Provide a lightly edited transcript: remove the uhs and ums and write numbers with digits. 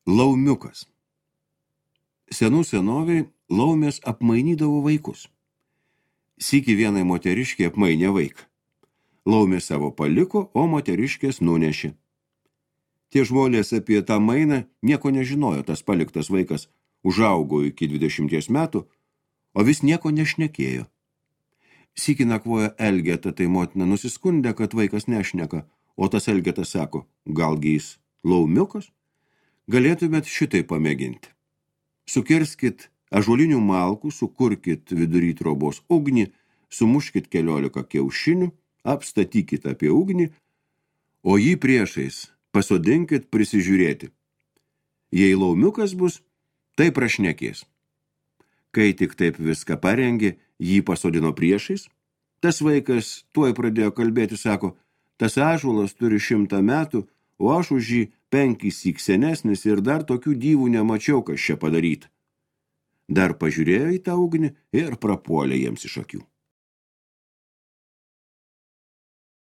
Laumiukas. Senų senoviai laumės apmainydavo vaikus. Sykį vienai moteriškė apmainė vaiką. Laumė savo paliko, o moteriškės nunešė. Tie žmonės apie tą mainą nieko nežinojo, tas paliktas vaikas užaugo iki 20 metų, o vis nieko nešnekėjo. Sykį nakvojo Elgeta, tai motina nusiskundė, kad vaikas nešneka, o tas Elgetas sako, galgi jis laumiukas? Galėtumėt šitai pamėginti. Sukirskit ąžuolinių malkų, sukurkit vidury trobos ugnį, sumuškit 14 kiaušinių, apstatykit apie ugnį, o jį priešais pasodinkit prisižiūrėti. Jei laumiukas bus, tai prašnekės. Kai tik taip viską parengė, jį pasodino priešais. Tas vaikas tuoj pradėjo kalbėti, sako, tas ąžuolas turi 100 metų, o aš už jį 5 senesnis ir dar tokių dyvų nemačiau, kas čia padaryta. Dar pažiūrėjo į tą ugnį ir prapuolė jiems iš akių.